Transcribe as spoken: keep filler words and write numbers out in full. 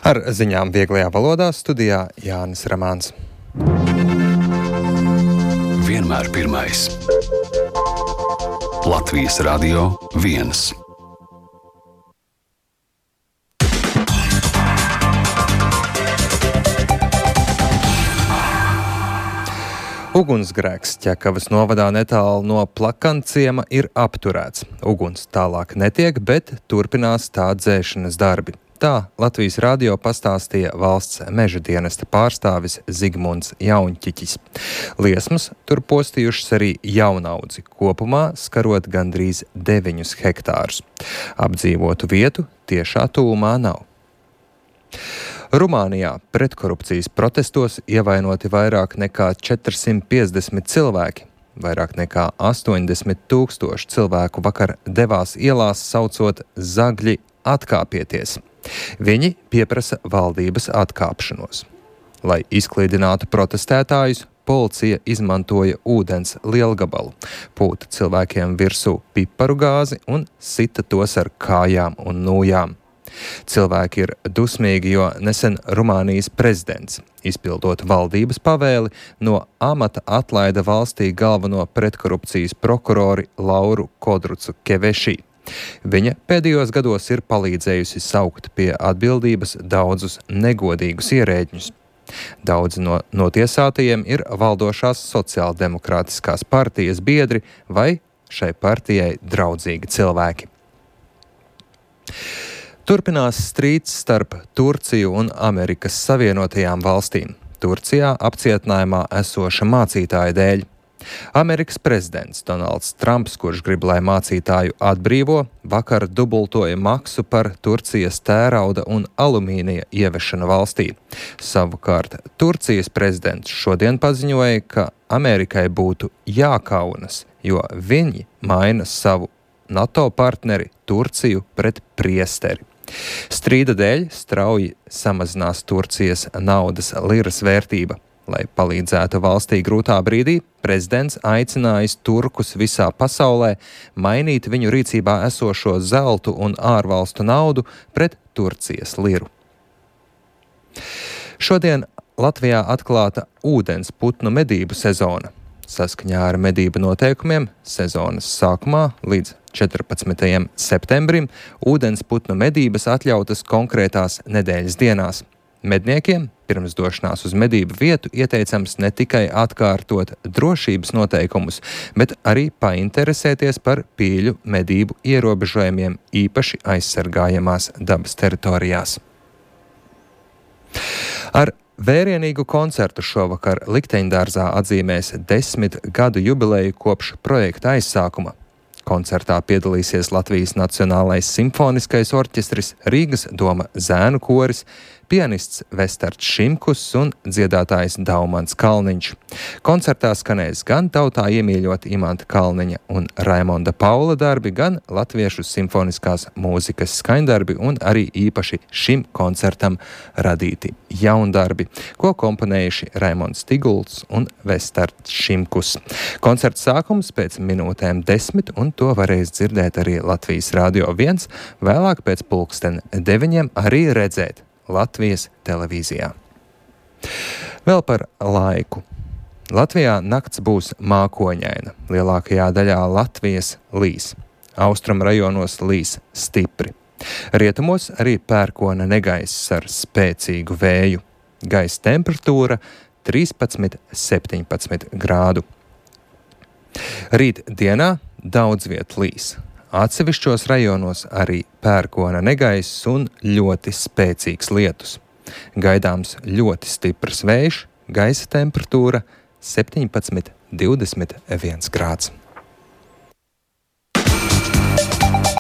Ar ziņām vieglajā valodā studijā Jānis Ramāns. Vienmēr pirmais. Latvijas Radio viens. Ugunsgrēks Ķekavas novadā netālu no Plakanciema ir apturēts. Uguns tālāk netiek, bet turpinās tā dzēšanas darbi. Tā Latvijas radio pastāstīja valsts meža dienesta pārstāvis Zigmunds Jaunķiķis. Liesmas tur postījušas arī jaunaudzi, kopumā skarot gandrīz deviņus hektārus. Apdzīvotu vietu tiešā tuvumā nav. Rumānijā pretkorupcijas protestos ievainoti vairāk nekā četrsimt piecdesmit cilvēki. Vairāk nekā astoņdesmit tūkstoši cilvēku vakar devās ielās, saucot zagļi atkāpieties. Viņi pieprasa valdības atkāpšanos. Lai izklīdinātu protestētājus, policija izmantoja ūdens lielgabalu, pūta cilvēkiem virsū piparu gāzi un sita tos ar kājām un nūjām. Cilvēki ir dusmīgi, jo nesen Rumānijas prezidents, izpildot valdības pavēli, no amata atlaida valstī galveno pretkorupcijas prokurori Lauru Kodrucu Kevešī. Viņa pēdējos gados ir palīdzējusi saukt pie atbildības daudzus negodīgus ierēģņus. Daudzi no notiesātajiem ir valdošās sociāldemokrātiskās partijas biedri vai šai partijai draudzīgi cilvēki. Turpinās strīds starp Turciju un Amerikas Savienotajām valstīm. Turcijā apcietinājumā esoša mācītāja dēļ. Amerikas prezidents Donalds Trumps, kurš grib, lai mācītāju atbrīvo, vakar dubultoja maksu par Turcijas tērauda un alumīnija ievešanu valstī. Savukārt Turcijas prezidents šodien paziņoja, ka Amerikai būtu jākaunas, jo viņi maina savu NATO partneri Turciju pret priesteri. Strīda dēļ strauji samazinās Turcijas naudas liras vērtība. Lai palīdzētu valstī grūtā brīdī, prezidents aicinājis turkus visā pasaulē mainīt viņu rīcībā esošo zeltu un ārvalstu naudu pret Turcijas liru. Šodien Latvijā atklāta ūdens putnu medību sezona. Saskaņā ar medību noteikumiem sezonas sākumā līdz četrpadsmitajam septembrim ūdens putnu medības atļautas konkrētās nedēļas dienās. Medniekiem pirms došanās uz medību vietu ieteicams ne tikai atkārtot drošības noteikumus, bet arī painteresēties par pīļu medību ierobežojumiem īpaši aizsargājamās dabas teritorijās. Ar vērienīgu koncertu šovakar Likteņdārzā atzīmēs desmit gadu jubileju kopš projekta aizsākuma. Koncertā piedalīsies Latvijas Nacionālais simfoniskais orķestris, Rīgas doma zēnu koris, pianists Vestards Šimkus un dziedātājs Daumans Kalniņš. Koncertā skanēs gan tautā iemīļoti Imanta Kalniņa un Raimonda Paula darbi, gan latviešu simfoniskās mūzikas skaņdarbi un arī īpaši šim koncertam radīti jaundarbi, ko komponējuši Raimonds Tigults un Vestards Šimkus. Koncerta sākums pēc minūtēm desmit, un to varēs dzirdēt arī Latvijas Radio viens, vēlāk pēc pulksten deviņiem arī redzēt Latvijas televīzijā. Vēl par laiku. Latvijā nakts būs mākoņaina. Lielākajā daļā Latvijas līs. Austrum rajonos līs stipri. Rietumos arī pērkona negaiss ar spēcīgu vēju. Gaisa temperatūra trīspadsmit līdz septiņpadsmit grādu. Rīt dienā daudz viet līs. Atsevišķos rajonos arī pērkona negaiss un ļoti spēcīgs lietus. Gaidāms ļoti stiprs vējš, gaisa temperatūra septiņpadsmit līdz divdesmit viens grāds.